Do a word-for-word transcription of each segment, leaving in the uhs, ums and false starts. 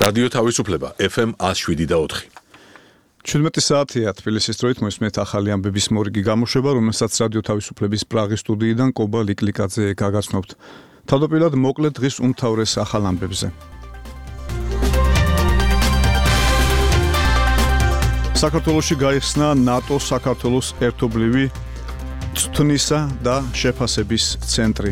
რადიო თავისუფლება ეფ ემ ათს შვიდი და ოთხი. ჩვიდმეტი საათია თბილისის დროით მოისმენთ ახალი ამბების მორიგი გამოშვება, რომელსაც რადიო თავისუფლების პრაღის სტუდიიდან კობა ლიკლიკაძე გაგაცნობთ. თავდაპირველად მოკლედ დღის უმთავრეს ახალ ამბებზე. საქართველოში გაიხსნა ნატო საქართველოს ერთობლივი წვნისა და შეფასების ცენტრი.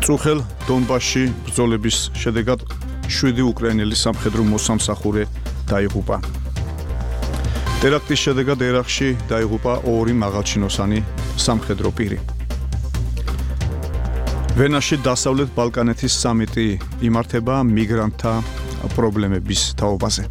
წუხელ დონბასში ბრძოლების შედეგად შვიდი უკრაინელი სამხედრო მოსამსახურე დაიღუპა. ტერაქტის შედეგად ერაყში დაიღუპა ორი მაღალჩინოსანი სამხედრო პირი. ვენაში დასავლეთ ბალკანეთის სამიტი იმართება მიგრანტთა პრობლემების თაობაზე.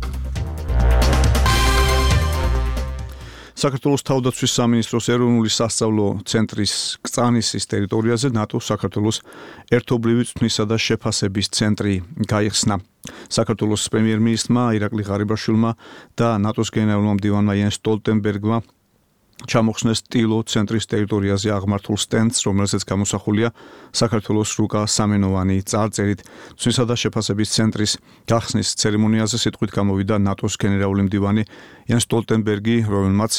საქართველოს თავდაცვის სამინისტროს ეროვნული სასწავლო ცენტრის კწანისის ტერიტორიაზე ნატო საქართველოს ერთობლივი წვნისა და შეფასების ცენტრი გაიხსნა. საქართველოს პრემიერ-მინისტრმა ირაკლი ღარიბაშვილმა და ნატოს გენერალურმა მდივანმა იენს სტოლტენბერგმა ჩამოხსნეს ტილო ცენტრის ტერიტორიაზე აღმართულ სტენდს, რომელზეც გამოსახულია საქართველოს რუკა სამენოვანი წარწერით. წვნისა და შეფასების ცენტრის გახსნის ცერემონიაზე სიტყვით გამოვიდა ნატოს გენერალური მდივანი იენს სტოლტენბერგი, რომელმაც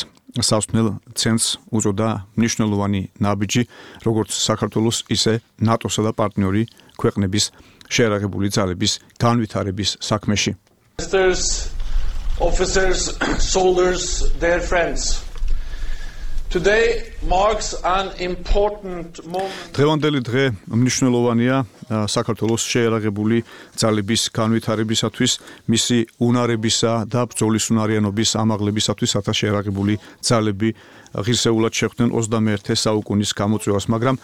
სასწნელ ცენტრს უწოდა მნიშვნელოვანი ნაბიჯი, როგორც საქართველოს, ისე ნატოსა და პარტნიორი ქვეყნების შეერაღებული ძალების განვითარების საქმეში. Officers, soldiers, dear friends. Today marks an important moment. დღევანდელი დღე მნიშვნელოვანია საქართველოს შეერაღებული ძალების განვითარებისათვის, მისი უნარებისა და ბრძოლის უნარიანობის ამაღლებისათვის, რათა შეერაღებული ძალები ღირსეულად შეხვდნენ ოცდამეერთე საუკუნის გამოწვევას, მაგრამ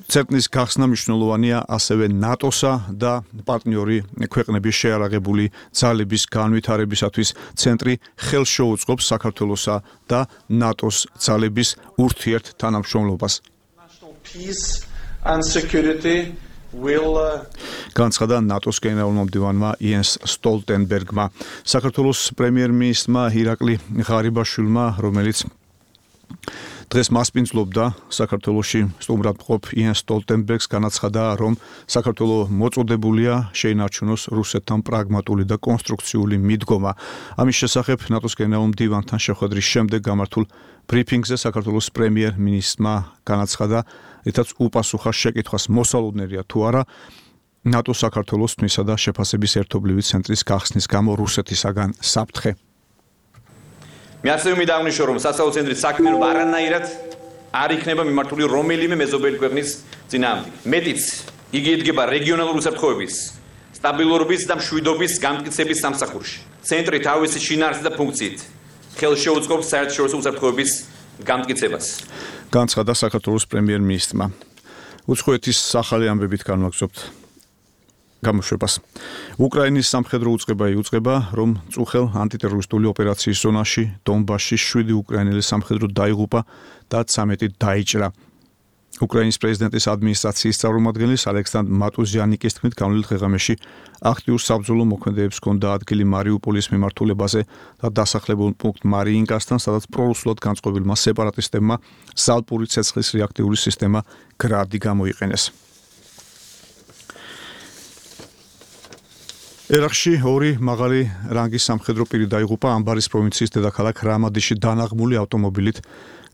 ცენტრის გახსნა მნიშვნელოვანია ასევე ნატოსა და პარტნიორი ქვეყნების შეერაღებული ძალების განვითარებისათვის. ცენტრი ხელს შეუწყობს საქართველოსა და ნატოს ძალების ურთიერთ თანამშრომლობას. განცხადა ნატოს გენერალურმა მდივანმა იენს სტოლტენბერგმა. საქართველოს პრემიერ-მინისტრმა ირაკლი ღარიბაშვილმა, რომელიც დღეს მასპინძლობდა საქართველოში სტუმრად მყოფ იენს სტოლტენბერგს, განაცხადა, რომ საქართველო მოწოდებულია შეინარჩუნოს რუსეთთან პრაგმატული და კონსტრუქციული მიდგომა. ამის შესახებ ნატოს გენერალურ მდივანთან შეხვედრის შემდეგ გამართულ ბრიფინგზე საქართველოს პრემიერ-მინისტრმა განაცხადა, რითაც უპასუხა შეკითხვას მოსალოდნელია თუ არა ნატო საქართველოს წვნისა და შეფასების ერთობლივი ცენტრის გახსნის გამო რუსეთისაგან საფრთხე. მე ასევე მინდა აღნიშნო, რომ სასწავლო ცენტრის საქმიანობა არანაირად არ იქნება მიმართული რომელიმე მეზობელი ქვეყნის წინააღმდეგ. მეტიც, იგი იდგება რეგიონალური უსაფრთხოების, სტაბილურობის და მშვიდობის განმტკიცების სამსახურში. ცენტრი თავისი შინაარსით და ფუნქციით ხელს შეუწყობს საერთაშორისო უსაფრთხოების განმტკიცებას. განცხადა საქართველოს პრემიერ-მინისტრმა. უცხოეთის ახალი ამბებით განვაგრძობთ გამოშვებას. უკრაინის სამხედრო უწყება იუწყება, რომ წუხელ ანტიტერორისტული ოპერაციის ზონაში დონბასში შვიდი უკრაინელი სამხედრო დაიღუპა და ცამეტი დაიჭრა. უკრაინის პრეზიდენტის ადმინისტრაციის წარმომადგენლის ალექსანდრ მატუზიანიკის თქმით, განვლილ დღეღამეში აქტიურ საბრძოლო მოქმედებებს ჰქონდა ადგილი მარიუპოლის მიმართულებაზე და დასახლებულ პუნქტ მარიინკასთან, სადაც პრორუსულად განწყობილმა სეპარატისტებმა ზალპური ცეცხლის რეაქტიული სისტემა გრადი გამოიყენეს. ერაყში ორი მაღალი რანგის სამხედრო პირი დაიღუპა ამბარის პროვინციის დედაქალაქ რამადიში დანაღმული ავტომობილით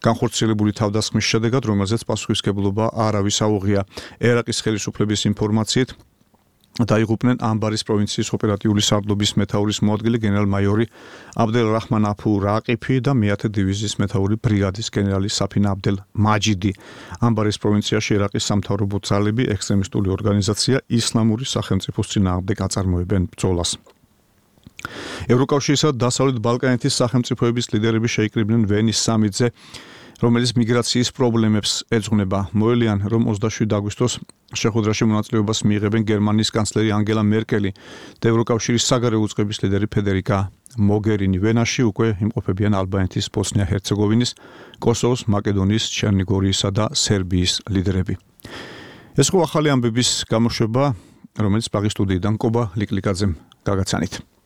განხორციელებული თავდასხმის შედეგად, რომელზეც პასუხისმგებლობა არავის აუღია. ერაყის ხელისუფლების ინფორმაციით დაიღუპნენ ამბარის პროვინციის ოპერატიული სარდლობის მეთაურის მოადგილე გენერალ-მაიორი აბდელ რაჰმან აფუ რაყიფი და მეათე დივიზიის მეთაური ბრიგადის გენერალი საფინა აბდელ მაჯიდი. ამბარის პროვინციაში ერაყის სამთავრობო ძალები ექსტრემისტული ორგანიზაცია ისლამური სახელმწიფოს წინააღმდეგ აწარმოებენ ბრძოლას. ევროკავშირისა და დასავლეთ ბალკანეთის სახელმწიფოების ლიდერები შეიკრიბნენ ვენის სამიტზე, რომელიც მიგრაციის პრობლემებს ეძღვნება. მოელიან, რომ ოცდაშვიდი აგვისტოს შეხვედრაში მონაწილეობას მიიღებენ გერმანიის კანცლერი ანგელა მერკელი და ევროკავშირის საგარეო უწყების ლიდერი ფედერიკა მოგერინი. ვენაში უკვე იმყოფებიან ალბანეთის, ბოსნია-ჰერცეგოვინის, კოსოვოს, მაკედონიის, ჩერნიგორიისა და სერბიის ლიდერები. ეს ხო ახალი ამბების გამოშვება, რომელიც პრაღის სტუდიიდან კობა ლიკლიკაძემ გაგაცანით.